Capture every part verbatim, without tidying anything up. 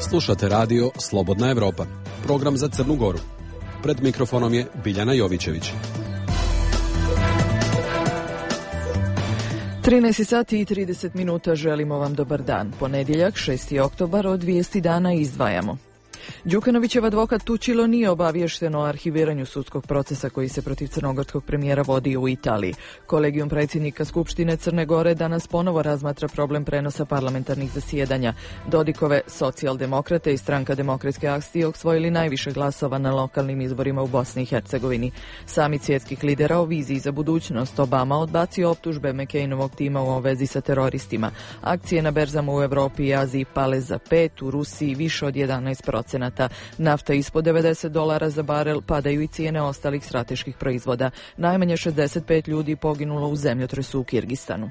Slušate radio Slobodna Evropa, program za Crnu Goru. Pred mikrofonom je Biljana Jovićević. trinaest sati i trideset minuta, želimo vam dobar dan. Ponedjeljak, šesti oktobar, od vijesti dana izdvajamo. Đukanovićev advokat Tučilo nije obaviješten o arhiviranju sudskog procesa koji se protiv crnogorskog premijera vodi u Italiji. Kolegijum predsjednika Skupštine Crne Gore danas ponovo razmatra problem prenosa parlamentarnih zasjedanja. Dodikove socijaldemokrate i stranka Demokratske akcije osvojili najviše glasova na lokalnim izborima u Bosni i Hercegovini. Samit svjetskih lidera o viziji za budućnost. Obama odbacio optužbe McCainovog tima u vezi sa teroristima. Akcije na berzama u Europi i Aziji pale za pet, u Rusiji više od jedanaest procenata. Nafta ispod devedeset dolara za barel, padaju i cijene ostalih strateških proizvoda. Najmanje šezdeset pet ljudi poginulo u zemljotresu u Kirgistanu.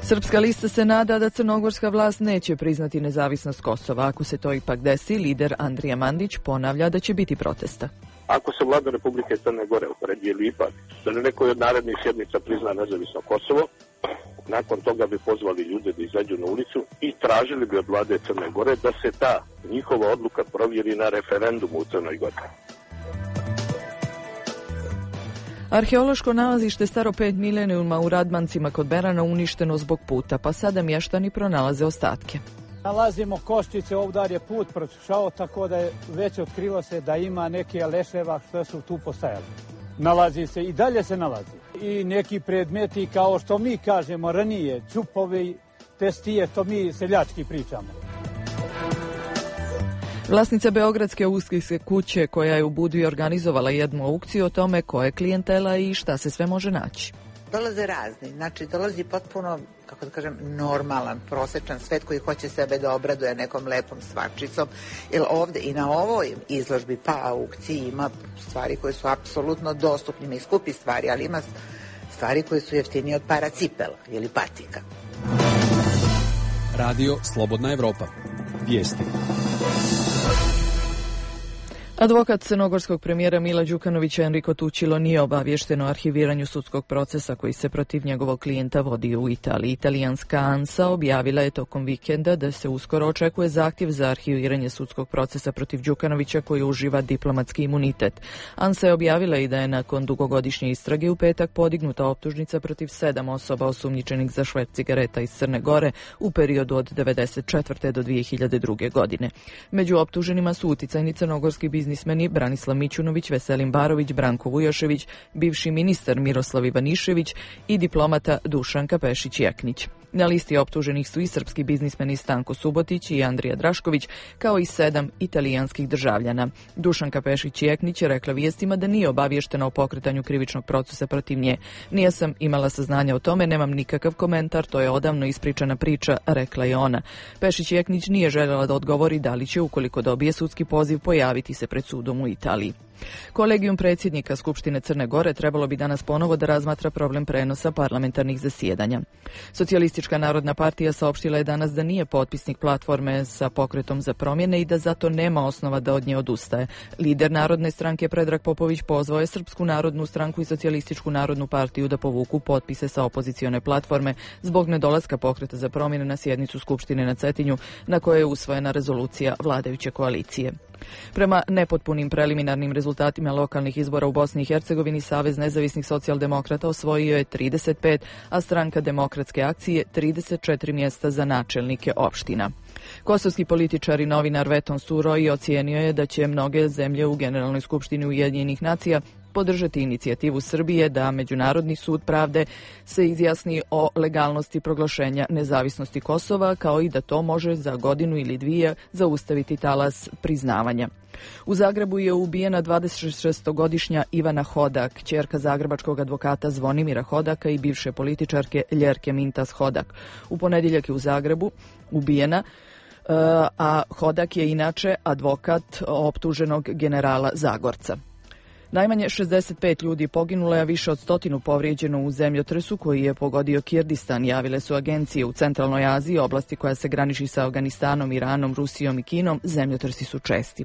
Srpska lista se nada da crnogorska vlast neće priznati nezavisnost Kosova. Ako se to ipak desi, lider Andrija Mandić ponavlja da će biti protesta. Ako se vlada Republike Crne Gore opredijeli ipak da na nekoj od narednih sjednica prizna nezavisno Kosovo, nakon toga bi pozvali ljude da izađu na ulicu i tražili bi od vlade Crne Gore da se ta njihova odluka provjeri na referendumu u Crnoj Gori. Arheološko nalazište staro pet milenijuma u Radmancima kod Berana uništeno zbog puta, pa sada mještani pronalaze ostatke. Nalazimo koščice, ovdje je put prošao, tako da je već otkrilo se da ima neke leševa što su tu postajali. Nalazi se i dalje se nalazi. I neki predmeti, kao što mi kažemo ranije, čupovi, testije, što mi seljački pričamo. Vlasnica Beogradske uskihske kuće, koja je u Budvi organizovala jednu aukciju o tome ko je klijentela i šta se sve može naći. Dolaze razni, znači dolazi potpuno, kako da kažem, normalan, prosječan svet koji hoće sebe da obraduje nekom lepom stvarčicom. Jer ovdje i na ovoj izložbi pa aukciji ima stvari koje su apsolutno dostupne i skupi stvari, ali ima stvari koje su jeftinije od para cipela ili patika. Radio Slobodna Evropa. Vijesti. Advokat crnogorskog premijera Mila Đukanovića Enrico Tučilo nije obaviješten o arhiviranju sudskog procesa koji se protiv njegovog klijenta vodi u Italiji. Italijanska ANSA objavila je tokom vikenda da se uskoro očekuje zahtjev za arhiviranje sudskog procesa protiv Đukanovića koji uživa diplomatski imunitet. ANSA je objavila i da je nakon dugogodišnje istrage u petak podignuta optužnica protiv sedam osoba osumnjičenih za šverc cigareta iz Crne Gore u periodu od devedeset četvrte do dvije hiljade druge. godine. Među optuženima su uticajni crnogorski biznis biznismeni Branislav Mićunović, Veselin Barović, Branko Vujošević, bivši ministar Miroslav Ivanišević i diplomata Dušanka Pešić-Jeknić. Na listi optuženih su i srpski biznismeni Stanko Subotić i Andrija Drašković, kao i sedam italijanskih državljana. Dušanka Pešić-Jeknić je rekla vijestima da nije obaviještena o pokretanju krivičnog procesa protiv nje. Nije sam imala saznanja o tome, nemam nikakav komentar, to je odavno ispričana priča, rekla je ona. Pešić-Jeknić nije željela da odgovori da li će, ukoliko dobije sudski poziv, pojaviti se pred sudom u Italiji. Kolegijum predsjednika Skupštine Crne Gore trebalo bi danas ponovo da razmatra problem prenosa parlamentarnih zasjedanja. Socijalistička narodna partija saopštila je danas da nije potpisnik platforme sa pokretom za promjene i da zato nema osnova da od nje odustaje. Lider Narodne stranke Predrag Popović pozvao je Srpsku narodnu stranku i Socijalističku narodnu partiju da povuku potpise sa opozicione platforme zbog nedolaska pokreta za promjene na sjednicu Skupštine na Cetinju, na kojoj je usvojena rezolucija vladajuće koalicije. Prema nepotpunim preliminarnim rezultatima lokalnih izbora u Bosni i Hercegovini, Savez nezavisnih socijaldemokrata osvojio je trideset pet, a stranka Demokratske akcije trideset četiri mjesta za načelnike opština. Kosovski političar i novinar Veton Suroi ocijenio je da će mnoge zemlje u Generalnoj skupštini Ujedinjenih nacija podržati inicijativu Srbije da Međunarodni sud pravde se izjasni o legalnosti proglašenja nezavisnosti Kosova, kao i da to može za godinu ili dvije zaustaviti talas priznavanja. U Zagrebu je ubijena dvadesetšestogodišnja Ivana Hodak, kćerka zagrebačkog advokata Zvonimira Hodaka i bivše političarke Ljerke Mintas Hodak. U ponedjeljak je u Zagrebu ubijena, a Hodak je inače advokat optuženog generala Zagorca. Najmanje šezdeset pet ljudi poginulo, a više od stotinu povrijeđeno u zemljotresu koji je pogodio Kirdistan, javile su agencije u centralnoj Aziji, oblasti koja se graniči sa Afganistanom, Iranom, Rusijom i Kinom. Zemljotresi su česti.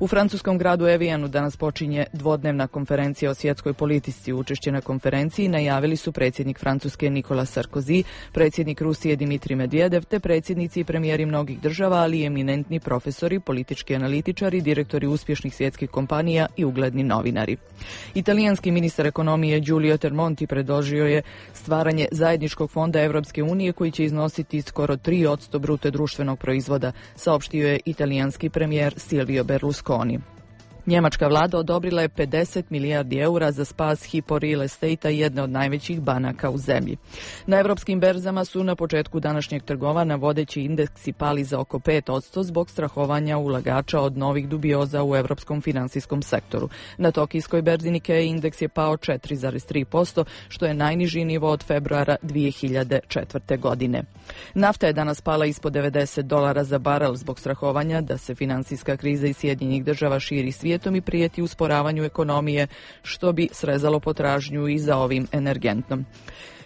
U francuskom gradu Evijanu danas počinje dvodnevna konferencija o svjetskoj politici. Učešće na konferenciji najavili su predsjednik Francuske Nicolas Sarkozy, predsjednik Rusije Dimitrij Medvedev te predsjednici i premijeri mnogih država, ali i eminentni profesori, politički analitičari, direktori uspješnih svjetskih kompanija i ugledni novinari. Italijanski ministar ekonomije Giulio Tremonti predložio je stvaranje zajedničkog fonda Europske unije koji će iznositi skoro tri posto bruto društvenog proizvoda, saopštio je italijanski premijer Silvio Berlusconi. Njemačka vlada odobrila je pedeset milijardi eura za spas Hypo Real Estate-a, jedne od najvećih banaka u zemlji. Na europskim berzama su na početku današnjeg trgovanja vodeći indeksi pali za oko pet posto zbog strahovanja ulagača od novih dubioza u europskom finansijskom sektoru. Na tokijskoj berzi Nikkei indeks je pao četiri zarez tri posto, što je najniži nivo od februara dvije hiljade četvrte. godine. Nafta je danas pala ispod devedeset dolara za barel zbog strahovanja da se finansijska kriza iz Sjedinjenih država širi svijetom i prijeti usporavanju ekonomije, što bi srezalo potražnju i za ovim energentom.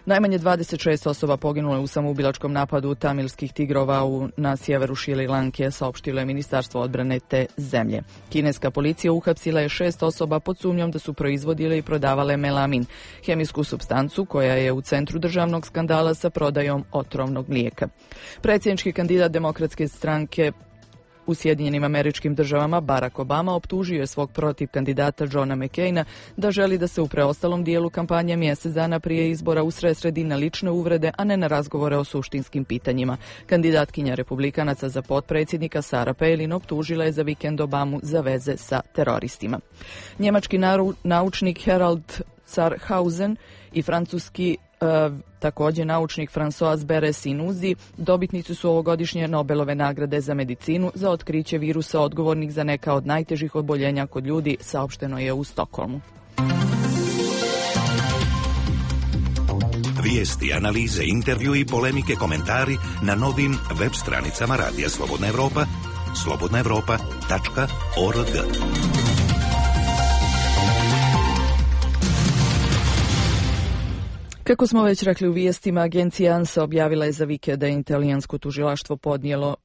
Najmanje dvadeset šest osoba poginulo je u samoubilačkom napadu tamilskih tigrova u, na sjeveru Šri Lanke, saopštilo je Ministarstvo odbrane te zemlje. Kineska policija uhapsila je šest osoba pod sumnjom da su proizvodile i prodavale melamin, hemijsku supstancu koja je u centru državnog skandala sa prodajom otrovnog mlijeka. Predsjednički kandidat Demokratske stranke u Sjedinjenim Američkim Državama Barack Obama optužio je svog protiv kandidata Johna McCaina da želi da se u preostalom dijelu kampanje mjesec dana prije izbora usredsredi na lične uvrede, a ne na razgovore o suštinskim pitanjima. Kandidatkinja republikanaca za potpredsjednika Sarah Palin optužila je za vikend Obamu za veze sa teroristima. Njemački naru, naučnik Harald Zarhausen i francuski Uh, također naučnik François Beres-Inuzi dobitnici su ovogodišnje Nobelove nagrade za medicinu za otkriće virusa odgovornih za neka od najtežih oboljenja kod ljudi, saopšteno je u Stokholmu. Vijesti, analize, intervju i polemike, komentari na novim web stranicama Radija Slobodna Evropa, slobodna evropa tačka org. Kako smo već rekli u vijestima, agencija ANSA objavila je za vikend da je italijansko tužilaštvo podnijelo,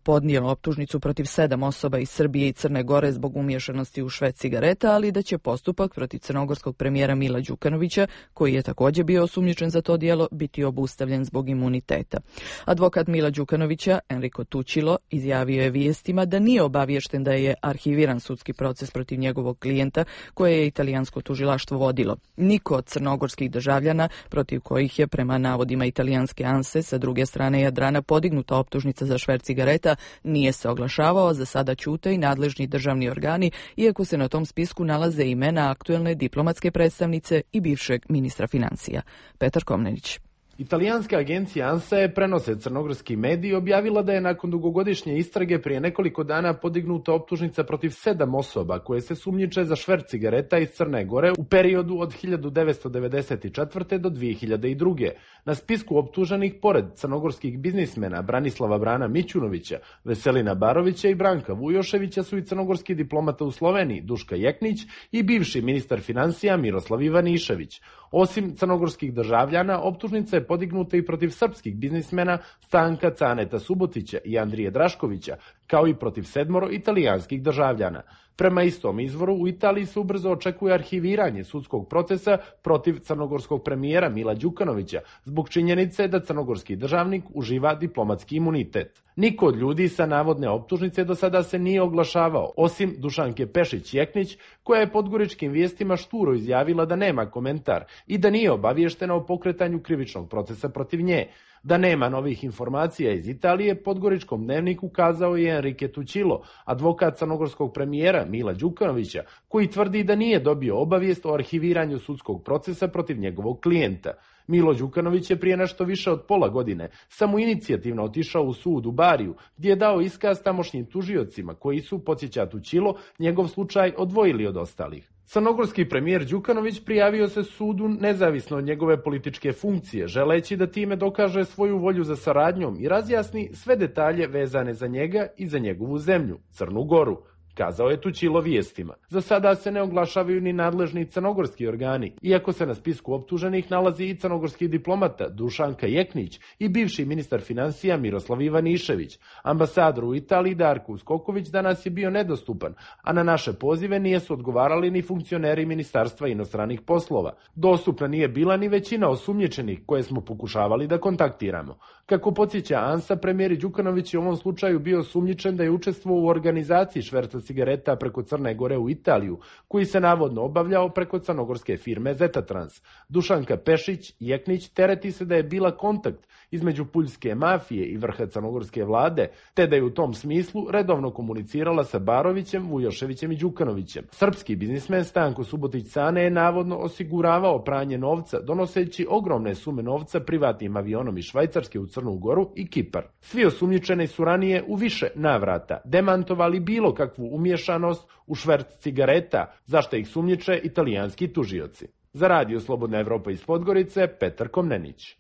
podnijelo optužnicu protiv sedam osoba iz Srbije i Crne Gore zbog umiješanosti u šverc cigareta, ali da će postupak protiv crnogorskog premijera Mila Đukanovića, koji je također bio osumnjičen za to djelo, biti obustavljen zbog imuniteta. Advokat Mila Đukanovića, Enrico Tucilo, izjavio je vijestima da nije obaviješten da je arhiviran sudski proces protiv njegovog klijenta koje je italijansko tužilaštvo vodilo. Niko od crnogorskih državljana protiv kojih je prema navodima italijanske ANSE sa druge strane Jadrana podignuta optužnica za šverc cigareta nije se oglašavao, za sada ćute i nadležni državni organi, iako se na tom spisku nalaze imena aktuelne diplomatske predstavnice i bivšeg ministra financija. Petar Komnenić. Italijanska agencija ANSA, prenose crnogorski mediji, objavila da je nakon dugogodišnje istrage prije nekoliko dana podignuta optužnica protiv sedam osoba koje se sumnjiče za šverc cigareta iz Crne Gore u periodu od hiljadu devetsto devedeset četvrte. do dvije hiljade druge. Na spisku optuženih, pored crnogorskih biznismena Branislava Brana Mićunovića, Veselina Barovića i Branka Vujoševića, su i crnogorski diplomata u Sloveniji Duška Jeknić i bivši ministar financija Miroslav Ivanišević. Osim crnogorskih državljana, optužnica je podignuta i protiv srpskih biznismena Stanka Caneta Subotića i Andrije Draškovića, kao i protiv sedmoro italijanskih državljana. Prema istom izvoru, u Italiji se ubrzo očekuje arhiviranje sudskog procesa protiv crnogorskog premijera Mila Đukanovića zbog činjenice da crnogorski državnik uživa diplomatski imunitet. Niko od ljudi sa navodne optužnice do sada se nije oglašavao, osim Dušanke Pešić-Jeknić, koja je podgoričkim vijestima šturo izjavila da nema komentar i da nije obaviještena o pokretanju krivičnog procesa protiv nje. Da nema novih informacija iz Italije, podgoričkom dnevniku kazao je Enrique Tucilo, advokat crnogorskog premijera Mila Đukanovića, koji tvrdi da nije dobio obavijest o arhiviranju sudskog procesa protiv njegovog klijenta. Milo Đukanović je prije nešto više od pola godine samoinicijativno otišao u sud u Bariju, gdje je dao iskaz tamošnjim tužiocima koji su, podsjeća Tucilo, njegov slučaj odvojili od ostalih. Crnogorski premijer Đukanović prijavio se sudu nezavisno od njegove političke funkcije, želeći da time dokaže svoju volju za saradnjom i razjasni sve detalje vezane za njega i za njegovu zemlju, Crnu Goru. kazao je Tućilo vijestima. Za sada se ne oglašavaju ni nadležni crnogorski organi, iako se na spisku optuženih nalazi i crnogorski diplomata Dušanka Jeknić i bivši ministar financija Miroslav Ivanišević. Ambasador u Italiji Darko Uskoković danas je bio nedostupan, a na naše pozive nijesu odgovarali ni funkcioneri Ministarstva inostranih poslova. Dostupna nije bila ni većina osumnjičenih koje smo pokušavali da kontaktiramo. Kako podsjeća ANSA, premijer Đukanović je u ovom slučaju bio osumnjičen da je učestvovao u organizaciji šverca cigareta preko Crne Gore u Italiju, koji se navodno obavljao preko crnogorske firme Zetatrans. Dušanka Pešić Jeknić tereti se da je bila kontakt između puljske mafije i vrha crnogorske vlade, te da je u tom smislu redovno komunicirala sa Barovićem, Vujoševićem i Đukanovićem. Srpski biznismen Stanko Subotić-Cane je navodno osiguravao pranje novca, donoseći ogromne sume novca privatnim avionom iz Švajcarske u Crnu Goru i Kipar. Svi osumnjičeni su ranije u više navrata demantovali bilo kakvu umješanost u šverc cigareta, zašto ih sumnjiče italijanski tužioci. Za Radio Slobodna Evropa iz Podgorice, Petar Komnenić.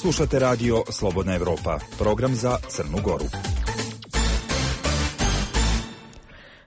Slušate Radio Slobodna Evropa, program za Crnu Goru.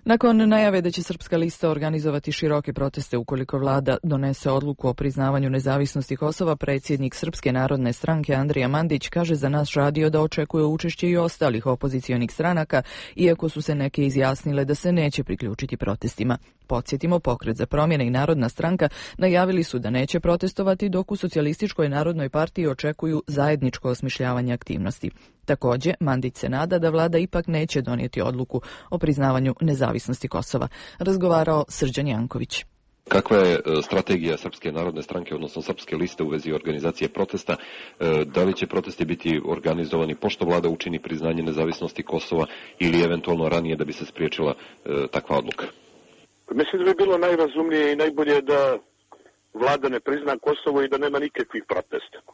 Nakon najave da će Srpska lista organizovati široke proteste ukoliko vlada donese odluku o priznavanju nezavisnosti Kosova, predsjednik Srpske narodne stranke Andrija Mandić kaže za naš radio da očekuje učešće i ostalih opozicionih stranaka, iako su se neke izjasnile da se neće priključiti protestima. Podsjetimo, Pokret za promjene i Narodna stranka najavili su da neće protestovati, dok u Socijalističkoj narodnoj partiji očekuju zajedničko osmišljavanje aktivnosti. Također, Mandić se nada da vlada ipak neće donijeti odluku o priznavanju nezavisnosti Kosova. Razgovarao Srđan Janković. Kakva je strategija Srpske narodne stranke, odnosno Srpske liste u vezi organizacije protesta? Da li će protesti biti organizovani pošto vlada učini priznanje nezavisnosti Kosova ili eventualno ranije da bi se spriječila takva odluka? Mislim da bi bilo najrazumnije i najbolje da vlada ne prizna Kosovo i da nema nikakvih protesta. E,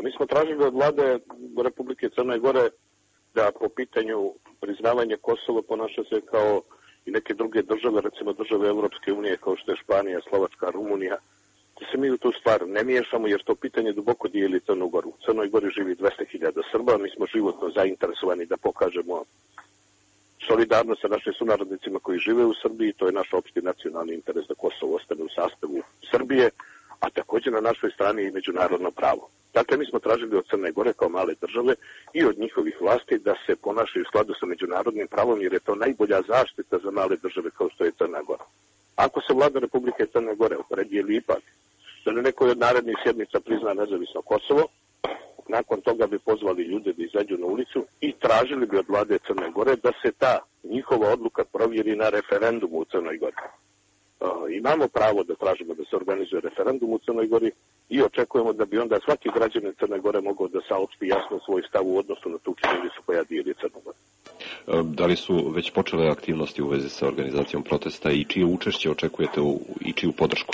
mi smo tražili od vlade Republike Crne Gore da po pitanju priznavanja Kosova ponaša se kao i neke druge države, recimo države Europske unije kao što je Španija, Slovačka, Rumunija, da se mi u tu stvar ne miješamo jer to pitanje duboko dijeli Crnu Goru. U Crnoj Gori živi dvesta hiljada Srba, mi smo životno zainteresovani da pokažemo solidarnost sa našim sunarodnicima koji žive u Srbiji, to je naš opšti nacionalni interes da Kosovo ostane u sastavu Srbije, a također na našoj strani i međunarodno pravo. Dakle, mi smo tražili od Crne Gore kao male države i od njihovih vlasti da se ponašaju u skladu sa međunarodnim pravom, jer je to najbolja zaštita za male države kao što je Crna Gora. Ako se vlada Republike Crne Gore opredijeli ipak da na nekoj od narednih sjednica prizna nezavisno Kosovo, nakon toga bi pozvali ljude da izađu na ulicu i tražili bi od vlade Crne Gore da se ta njihova odluka provjeri na referendumu u Crnoj Gori. Uh, imamo pravo da tražimo da se organizuje referendum u Crnoj Gori i očekujemo da bi onda svaki građanin Crne Gore mogao da saopšti jasno svoj stav u odnosu na tu činjenicu koja dijeli Crnu Goru. Da li su već počele aktivnosti u vezi sa organizacijom protesta i čije učešće očekujete u, i čiju podršku?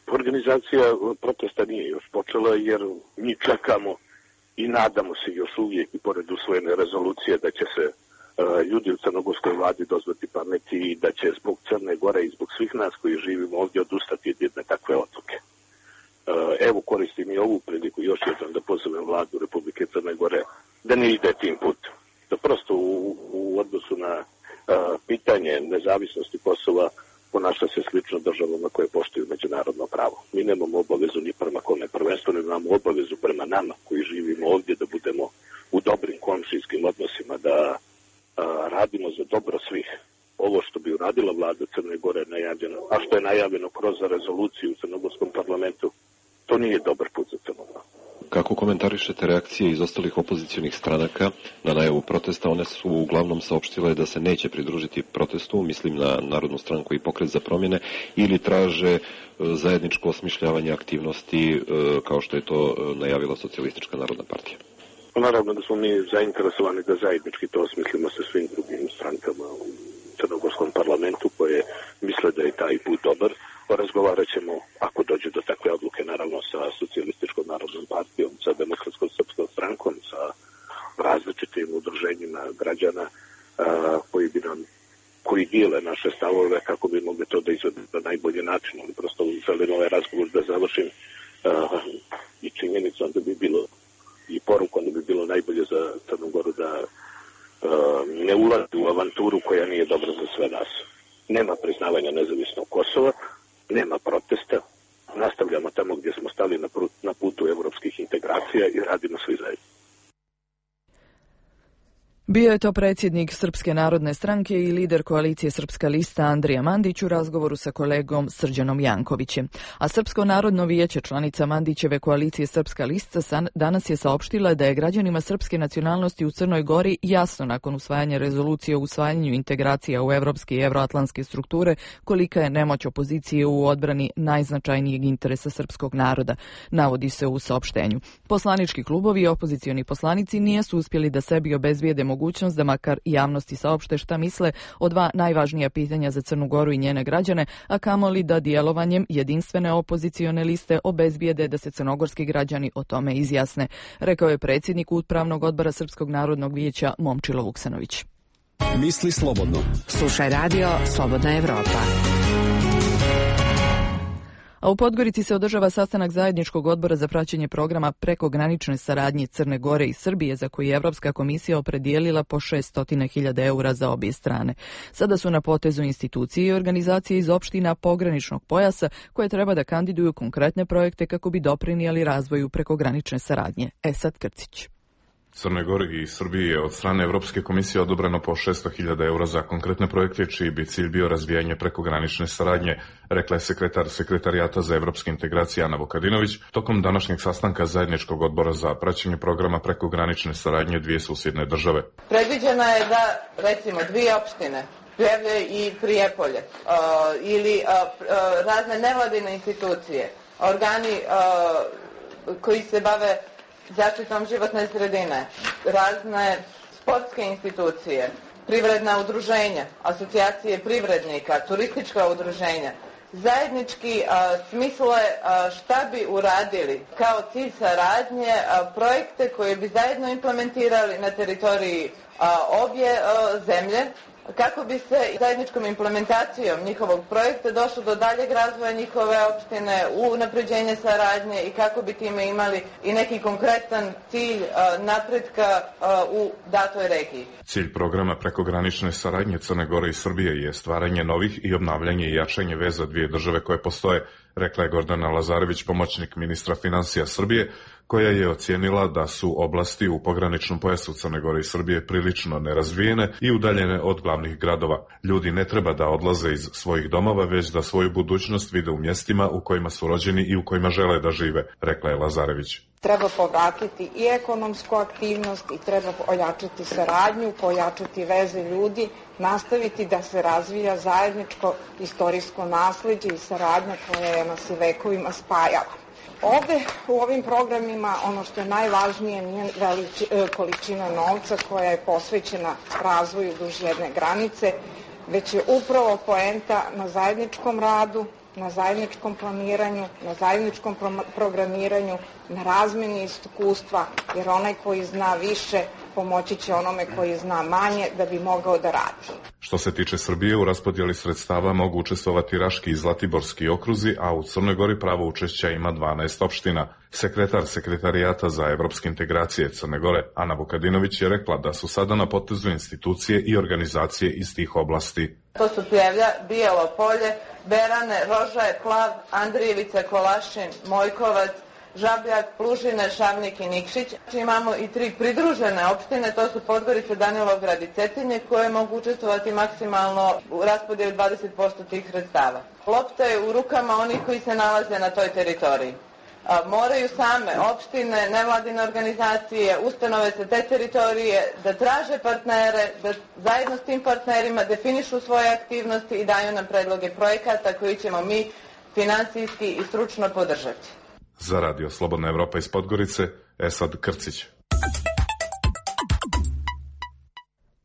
Organizacija protesta nije još počela jer mi čekamo i nadamo se još uvijek i pored usvojene rezolucije da će se uh, ljudi u crnogorskoj vladi dozvati pameti i da će zbog Crne Gore i zbog svih nas koji živimo ovdje odustati od jedne takve odluke. Uh, evo koristim i ovu priliku još jednom da pozovem vladu Republike Crne Gore da ne ide tim putem. Da prosto u, u odnosu na uh, pitanje nezavisnosti Kosova ponaša se slično državama koje poštuju međunarodno pravo. Mi nemamo obavezu ni prema kome, prvenstveno imamo obavezu prema nama koji živimo ovdje da budemo u dobrim komšijskim odnosima, da a, radimo za dobro svih. Ovo što bi uradila vlada Crne Gore najavljeno, a što je najavljeno kroz rezoluciju u crnogorskom parlamentu, to nije dobar put za Crnu Goru. Kako komentarišete reakcije iz ostalih opozicionih stranaka na najavu protesta? One su uglavnom saopštile da se neće pridružiti protestu, mislim na Narodnu stranku i Pokret za promjene, ili traže zajedničko osmišljavanje aktivnosti kao što je to najavila Socijalistička narodna partija. Naravno da smo mi zainteresovani da zajednički to osmislimo sa svim drugim strankama u crnogorskom parlamentu koje misle da je taj put dobar. Razgovarat ćemo, ako dođe do takve odluke, naravno sa Socijalističkom narodnom partijom, sa Demokratskom srpskom strankom, sa različitim udruženjima građana a, koji bi nam, koji dijele naše stavove kako bi mogli to da izvedu na najbolji način. Ali prosto želim ovaj razgovor da završim a, i činjenicom da bi bilo i porukom da bi bilo najbolje za Crnu Goru da ne ulazi u avanturu koja nije dobra za sve nas. Nema priznavanja nezavisnog Kosova, nema protesta, nastavljamo tamo gdje smo stali na putu evropskih integracija i radimo svi zajedno. Bio je to predsjednik Srpske narodne stranke i lider koalicije Srpska lista Andrija Mandić u razgovoru sa kolegom Srđanom Jankovićem. A Srpsko narodno vijeće, članica Mandićeve koalicije Srpska lista, danas je saopštila da je građanima srpske nacionalnosti u Crnoj Gori jasno nakon usvajanja rezolucije o usvajanju integracija u evropske i evroatlantske strukture kolika je nemoć opozicije u odbrani najznačajnijeg interesa srpskog naroda, navodi se u saopštenju. Poslanički klubovi i opozicioni poslanici nisu uspjeli da sebi obezbijede mogućnost da makar javnosti saopšte šta misle o dva najvažnija pitanja za Crnu Goru i njene građane, a kamoli da djelovanjem jedinstvene opozicione liste obezbijede da se crnogorski građani o tome izjasne, rekao je predsjednik Upravnog odbora Srpskog narodnog vijeća Momčilo Vuksanović. Misli slobodno. Slušaj radio Slobodna Evropa. A u Podgorici se održava sastanak zajedničkog odbora za praćenje programa prekogranične saradnje Crne Gore i Srbije, za koji je Evropska komisija opredijelila po šesto hiljada eura za obje strane. Sada su na potezu institucije i organizacije iz opština pograničnog pojasa koje treba da kandiduju konkretne projekte kako bi doprinijeli razvoju prekogranične saradnje. Esad Krcić. Crnoj Gori i Srbiji je od strane Evropske komisije odobreno po šesto hiljada eura za konkretne projekte, čiji bi cilj bio razvijanje prekogranične saradnje, rekla je sekretar Sekretarijata za evropske integracije Ana Vukadinović tokom današnjeg sastanka zajedničkog odbora za praćenje programa prekogranične saradnje dvije susjedne države. Predviđeno je da, recimo, dvije opštine, Pljevlje i Prijepolje, uh, ili uh, uh, razne nevladine institucije, organi uh, koji se bave zaštitom životne sredine, razne sportske institucije, privredna udruženja, asocijacije privrednika, turistička udruženja, zajednički a, smisle a, šta bi uradili kao cilj saradnje a, projekte koje bi zajedno implementirali na teritoriji a, obje a, zemlje, kako bi se zajedničkom implementacijom njihovog projekta došlo do daljeg razvoja njihove opštine, u unapređenje saradnje i kako bi time imali i neki konkretan cilj uh, napretka uh, u datoj regiji. Cilj programa prekogranične saradnje Crne Gore i Srbije je stvaranje novih i obnavljanje i jačanje veza dvije države koje postoje, rekla je Gordana Lazarević, pomoćnik ministra financija Srbije, koja je ocijenila da su oblasti u pograničnom pojasu Crne Gore i Srbije prilično nerazvijene i udaljene od glavnih gradova. Ljudi ne treba da odlaze iz svojih domova, već da svoju budućnost vide u mjestima u kojima su rođeni i u kojima žele da žive, rekla je Lazarević. Treba povratiti i ekonomsku aktivnost i treba ojačati saradnju, pojačati veze ljudi, nastaviti da se razvija zajedničko istorijsko nasleđe i saradnja koja je nas i vekovima spajala. Ovde u ovim programima ono što je najvažnije nije veliči, količina novca koja je posvećena razvoju duž jedne granice, već je upravo poenta na zajedničkom radu, na zajedničkom planiranju, na zajedničkom pro- programiranju, na razmjeni iskustva, jer onaj koji zna više pomoći će onome koji zna manje da bi mogao da radi. Što se tiče Srbije, u raspodjeli sredstava mogu učestvovati Raški i Zlatiborski okruzi, a u Crnoj Gori pravo učešća ima dvanaest opština. Sekretar Sekretarijata za evropske integracije Crne Gore, Ana Vukadinović, je rekla da su sada na potezu institucije i organizacije iz tih oblasti. To su Pljevlja, Bijelo Polje, Berane, Rožaje, Plav, Andrijevica, Kolašin, Mojkovac, Žabljak, Plužine, Šavnik i Nikšić. Imamo i tri pridružene opštine, to su Podgorica, Danilovgrad i Cetinje, koje mogu učestvovati maksimalno u raspodjeli dvadeset posto tih sredstava. Lopta je u rukama onih koji se nalaze na toj teritoriji. A, moraju same opštine, nevladine organizacije, ustanove sa te teritorije da traže partnere, da zajedno s tim partnerima definišu svoje aktivnosti i daju nam predloge projekata koji ćemo mi finansijski i stručno podržati. Za radio Slobodna Evropa iz Podgorice, Esad Krcić.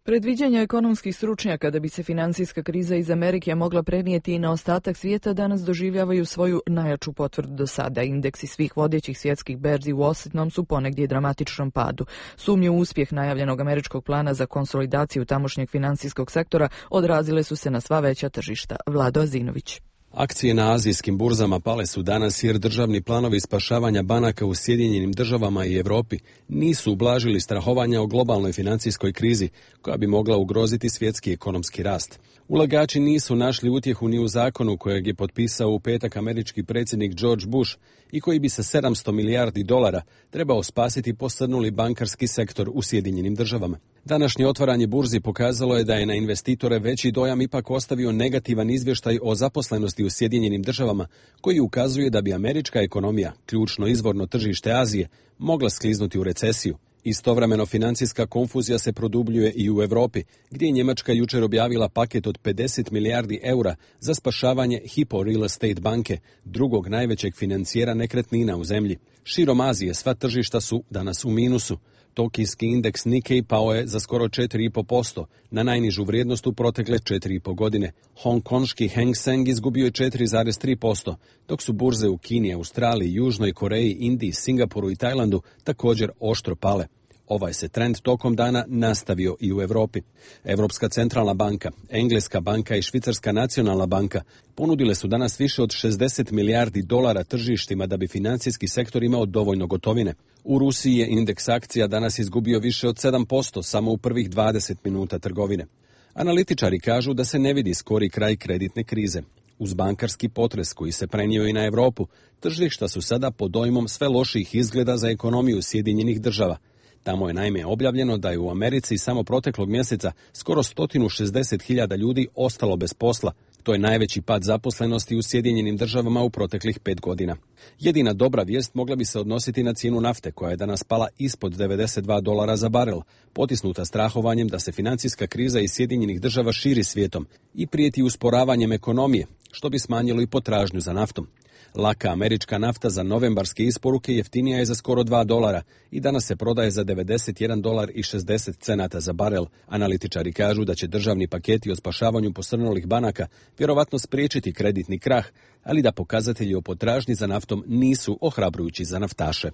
Predviđanja ekonomskih stručnjaka da bi se finansijska kriza iz Amerike mogla prenijeti i na ostatak svijeta danas doživljavaju svoju najjaču potvrdu do sada. Indeksi svih vodećih svjetskih berzi u osjetnom su ponegdje dramatičnom padu. Sumnje u uspjeh najavljenog američkog plana za konsolidaciju tamošnjeg finansijskog sektora odrazile su se na sva veća tržišta. Vlado Azinović. Akcije na azijskim burzama pale su danas jer državni planovi spašavanja banaka u Sjedinjenim državama i Europi nisu ublažili strahovanja o globalnoj financijskoj krizi koja bi mogla ugroziti svjetski ekonomski rast. Ulagači nisu našli utjehu ni u zakonu kojeg je potpisao u petak američki predsjednik George Bush i koji bi sa sedamsto milijardi dolara trebao spasiti posrnuli bankarski sektor u Sjedinjenim državama. Današnje otvaranje burzi pokazalo je da je na investitore veći dojam ipak ostavio negativan izvještaj o zaposlenosti u Sjedinjenim državama koji ukazuje da bi američka ekonomija, ključno izvorno tržište Azije, mogla skliznuti u recesiju. Istovremeno financijska konfuzija se produbljuje i u Europi, gdje je Njemačka jučer objavila paket od pedeset milijardi eura za spašavanje Hypo Real Estate banke, drugog najvećeg financijera nekretnina u zemlji. Širom Azije sva tržišta su danas u minusu. Tokijski indeks Nikkei pao je za skoro četiri i pol posto, na najnižu vrijednost u protekle četiri i pol godine. Hongkonški Hang Seng izgubio je četiri zarez tri posto, dok su burze u Kini, Australiji, Južnoj Koreji, Indiji, Singapuru i Tajlandu također oštro pale. Ovaj se trend tokom dana nastavio i u Europi. Europska centralna banka, Engleska banka i Švicarska nacionalna banka ponudile su danas više od šezdeset milijardi dolara tržištima da bi financijski sektor imao dovoljno gotovine. U Rusiji je indeks akcija danas izgubio više od sedam posto samo u prvih dvadeset minuta trgovine. Analitičari kažu da se ne vidi skori kraj kreditne krize. Uz bankarski potres koji se prenio i na Europu, tržišta su sada pod dojmom sve loših izgleda za ekonomiju Sjedinjenih država. Tamo je naime objavljeno da je u Americi samo proteklog mjeseca skoro sto šezdeset hiljada ljudi ostalo bez posla. To je najveći pad zaposlenosti u Sjedinjenim državama u proteklih pet godina. Jedina dobra vijest mogla bi se odnositi na cijenu nafte koja je danas pala ispod devedeset dva dolara za barel, potisnuta strahovanjem da se financijska kriza iz Sjedinjenih država širi svijetom i prijeti usporavanjem ekonomije, što bi smanjilo i potražnju za naftom. Laka američka nafta za novembarske isporuke jeftinija je za skoro dva dolara i danas se prodaje za devedeset jedan dolar i šezdeset cenata za barel. Analitičari kažu da će državni paketi o spašavanju posrnulih banaka vjerovatno spriječiti kreditni krah, ali da pokazatelji o potražnji za naftom nisu ohrabrujući za naftaše.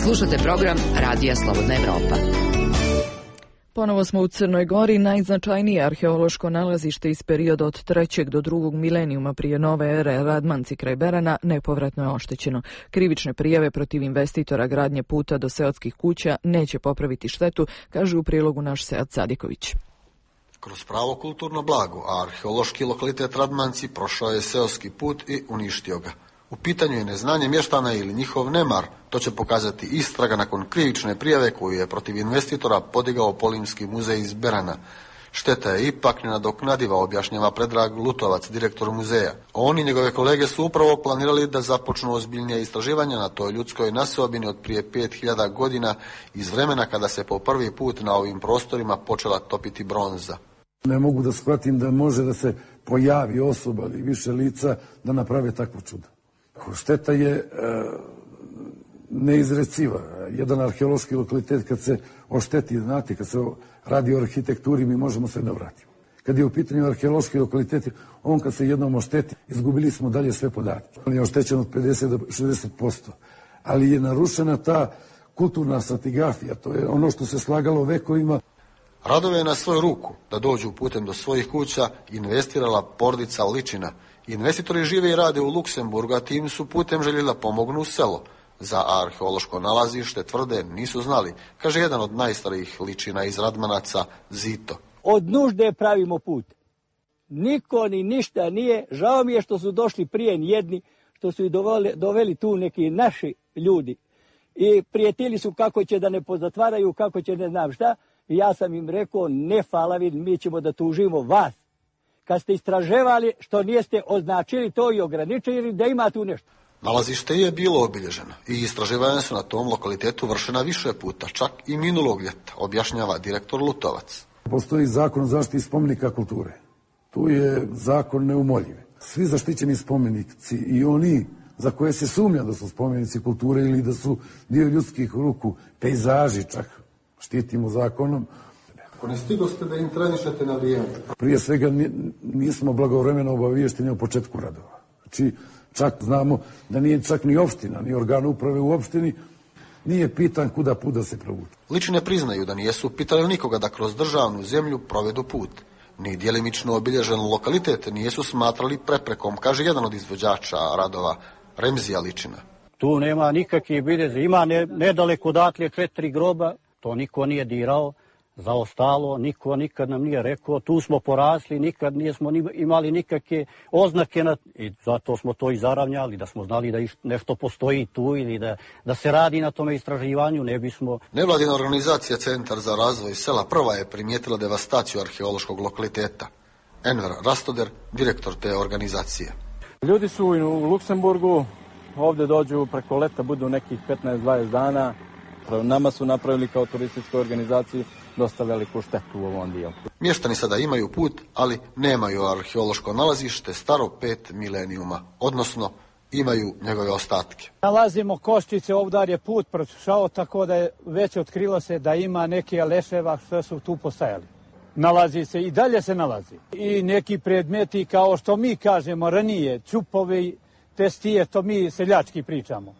Slušate program Radija Slobodna Evropa. Ponovo smo u Crnoj Gori, najznačajnije arheološko nalazište iz perioda od trećeg do drugog milenijuma prije nove ere, Radmanci kraj Berana, nepovratno je oštećeno. Krivične prijave protiv investitora gradnje puta do seoskih kuća neće popraviti štetu, kaže u prilogu naš Sead Sadiković. Kroz pravo kulturno blago, a arheološki lokalitet Radmanci prošao je seoski put i uništio ga. U pitanju je neznanje mještana ili njihov nemar, to će pokazati istraga nakon krivične prijave koju je protiv investitora podigao Polimski muzej iz Berana. Šteta je ipak nenadoknadiva, objašnjava Predrag Lutovac, direktor muzeja. On i njegove kolege su upravo planirali da započnu ozbiljnije istraživanja na toj ljudskoj naseobini od prije pet hiljada godina, iz vremena kada se po prvi put na ovim prostorima počela topiti bronza. Ne mogu da shvatim da može da se pojavi osoba ili više lica da naprave takvo čudo. Šteta je e, neizreciva. Jedan arheološki lokalitet kad se ošteti, znate, kad se radi o arhitekturi, mi možemo se da vratimo. Kad je u pitanju arheološki lokalitet, on kad se jednom ošteti, izgubili smo dalje sve podatke. On je oštećen od pedeset do šezdeset posto. Ali je narušena ta kulturna stratigrafija, to je ono što se slagalo vekovima. Radove je na svoju ruku da dođu putem do svojih kuća investirala porodica Ličina. Investitori žive i rade u Luksemburgu, a tim su putem željeli da pomognu u selo. Za arheološko nalazište tvrde nisu znali, kaže jedan od najstarijih Ličina iz Radmanaca, Zito. Od nužde pravimo put. Niko ni ništa nije. Žao mi je što su došli prije jedni, što su i doveli, doveli tu neki naši ljudi. I prijetili su kako će da ne pozatvaraju, kako će ne znam šta. I ja sam im rekao, ne falavi, mi ćemo da tužimo vas. Kad ste istraževali, što niste označili to i ograničili, da ima tu nešto. Nalazište je bilo obilježeno i istraživanja su na tom lokalitetu vršena više puta, čak i minulog ljeta, objašnjava direktor Lutovac. Postoji zakon o zaštiti spomenika kulture. Tu je zakon neumoljiv. Svi zaštićeni spomenici i oni za koje se sumnja da su spomenici kulture ili da su dio ljudskih ruku, pejzaži čak, štitimo zakonom. Ako ne stigoste da intervenišete na vrijeme? Prije svega nismo blagovremeno obaviješteni o početku radova. Znači, čak znamo da nije čak ni opština, ni organ uprave u opštini, nije pitan kuda put da se provuče. Ličine priznaju da nijesu pitali nikoga da kroz državnu zemlju provedu put. ni djelimično obilježen lokalitet nijesu smatrali preprekom, kaže jedan od izvođača radova, Remzija Ličina. Tu nema nikakvih biljeza, ima ne, nedaleko odatle četiri groba, to niko nije dirao, zaostalo, niko nikad nam nije rekao, tu smo porasli, nikad nismo imali nikakve oznake na, i zato smo to i zaravnjali, da smo znali da nešto postoji tu ili da, da se radi na tome istraživanju, ne bismo... Nevladina organizacija Centar za razvoj sela prva je primijetila devastaciju arheološkog lokaliteta. Enver Rastoder, direktor te organizacije. Ljudi su u Luksemburgu, ovdje dođu preko leta, budu nekih petnaest dvadeset dana. Nama su napravili kao turističkoj organizaciji dosta veliku štetu u ovom dijelu. Mještani sada imaju put, ali nemaju arheološko nalazište staro pet milenijuma, odnosno imaju njegove ostatke. Nalazimo koščice, ovdje je put prošao, tako da je već otkrilo se da ima neke leševa što su tu postajali. Nalazi se i dalje se nalazi. I neki predmeti, kao što mi kažemo ranije, čupovi, testije, to mi seljački pričamo.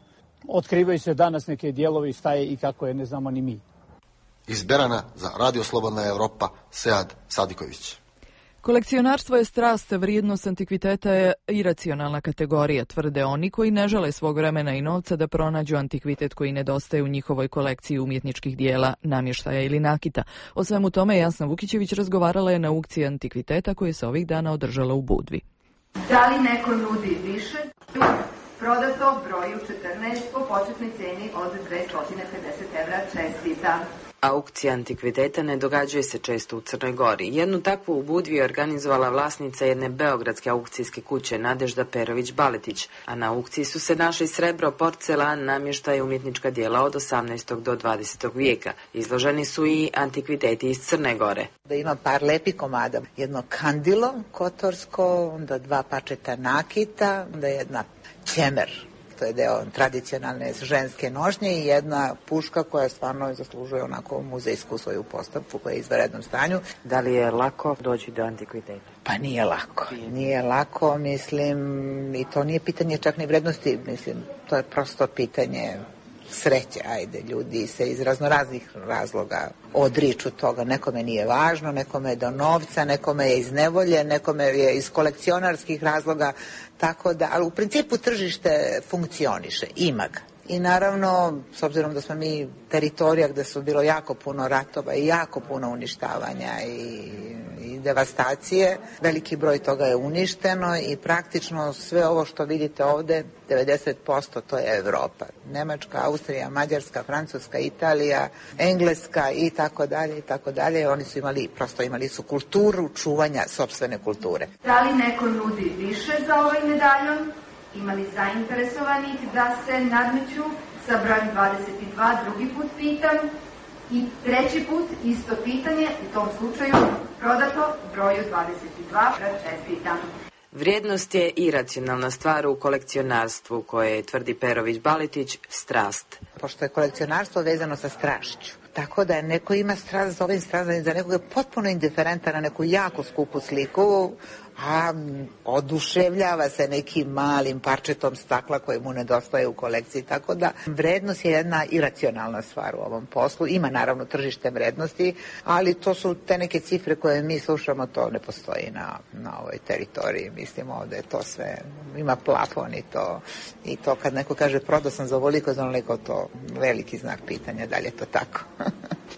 Otkrivaju se danas neke dijelovi, šta je i kako je, ne znamo ni mi. Iz Berana za Radio Slobodna Evropa, Sead Sadiković. Kolekcionarstvo je strast, vrijednost antikviteta je iracionalna kategorija, tvrde oni koji ne žele svog vremena i novca da pronađu antikvitet koji nedostaje u njihovoj kolekciji umjetničkih dijela, namještaja ili nakita. O svemu tome Jasna Vukićević razgovarala je na aukciji antikviteta koja se ovih dana održala u Budvi. Da li neko nudi više? Prodato broju četrnaest po početnoj ceni od dvesta pedeset evra, čestita. Aukcija antikviteta ne događuje se često u Crnoj Gori. Jednu takvu u Budvi je organizovala vlasnica jedne beogradske aukcijske kuće Nadežda Perović-Baletić, a na aukciji su se našli srebro, porcelan, namještaj i umjetnička djela od osamnaestog do dvadesetog vijeka. Izloženi su i antikviteti iz Crne Gore. Da ima par lepi komada, jedno kandilo kotorsko, onda dva pačeta nakita, onda jedna ćemer, to je deo tradicionalne ženske nošnje, i jedna puška koja stvarno zaslužuje onako muzejsku svoju postavku, koja je u izvanrednom stanju. Da li je lako doći do antikviteta? Pa nije lako. Nije lako, mislim, i to nije pitanje čak ni vrednosti, mislim, to je prosto pitanje sreće, ajde, ljudi se iz raznoraznih razloga odriču toga, nekome nije važno, nekome je do novca, nekome je iz nevolje, nekome je iz kolekcionarskih razloga, tako da, ali u principu tržište funkcioniše, ima ga. I naravno, s obzirom da smo mi teritorija gde su bilo jako puno ratova i jako puno uništavanja i, i devastacije, veliki broj toga je uništeno i praktično sve ovo što vidite ovde, devedeset posto to je Evropa. Nemačka, Austrija, Mađarska, Francuska, Italija, Engleska i tako dalje i tako dalje. Oni su imali, prosto imali su kulturu čuvanja sopstvene kulture. Da li neko nudi više za ovaj medaljon? Imali zainteresovanih da se nadmeću sa brojem dvadeset dva, drugi put pitam, i treći put isto pitanje, u tom slučaju prodato broju dvadeset dva, čestitam. Vrijednost je iracionalna stvar u kolekcionarstvu, koje je, tvrdi Perović-Baletić, strast. Pošto je kolekcionarstvo vezano sa strašću, tako da neko ima strast za ovim strast, za nekog je potpuno indiferentan na neku jako skupu sliku, a oduševljava se nekim malim parčetom stakla koje mu nedostaje u kolekciji, tako da vrednost je jedna iracionalna stvar u ovom poslu. Ima naravno tržište vrednosti, ali to su te neke cifre koje mi slušamo, to ne postoji na, na ovoj teritoriji. Mislim, ovde je to sve, ima plafon i to, i to kad neko kaže prodao sam za ovoliko, za onoliko, to veliki znak pitanja, da li je to tako.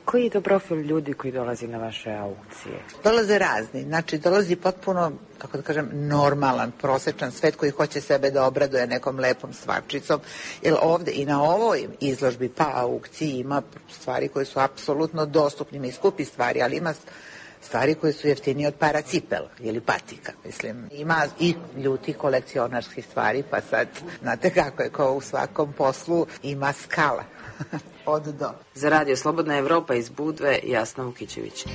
Koji je to profil ljudi koji dolazi na vaše aukcije? Dolaze razni, znači dolazi potpuno, kako da kažem, normalan, prosečan svet koji hoće sebe da obraduje nekom lepom stvarčicom, jer ovde i na ovoj izložbi pa aukciji ima stvari koje su apsolutno dostupne i skupi stvari, ali ima stvari koje su jeftinije od para cipela ili patika, mislim. Ima i ljuti kolekcionarskih stvari, pa sad, znate kako je, kao u svakom poslu ima skala. Od do. Za Radio Slobodna Evropa iz Budve, Jasna Vukićević.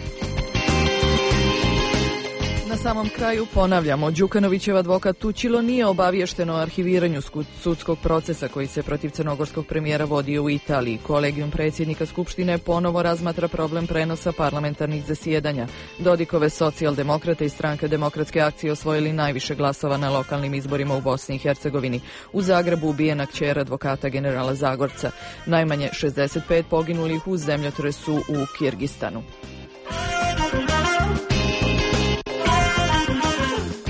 Na samom kraju ponavljamo, Đukanovićev advokat Tučilo nije obaviješten o arhiviranju sudskog procesa koji se protiv crnogorskog premijera vodio u Italiji. Kolegijum predsjednika Skupštine ponovo razmatra problem prenosa parlamentarnih zasjedanja. Dodikove socijaldemokrate i stranke Demokratske akcije osvojili najviše glasova na lokalnim izborima u Bosni i Hercegovini. U Zagrebu ubijena kćer advokata generala Zagorca. Najmanje šezdeset pet poginulih u zemljotresu u Kirgistanu.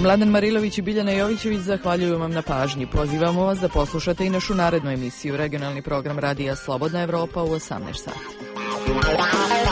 Mladen Marilović i Biljana Jovićević zahvaljuju vam na pažnji. Pozivamo vas da poslušate i našu narednu emisiju, regionalni program Radija Slobodna Evropa u osamnaest sati.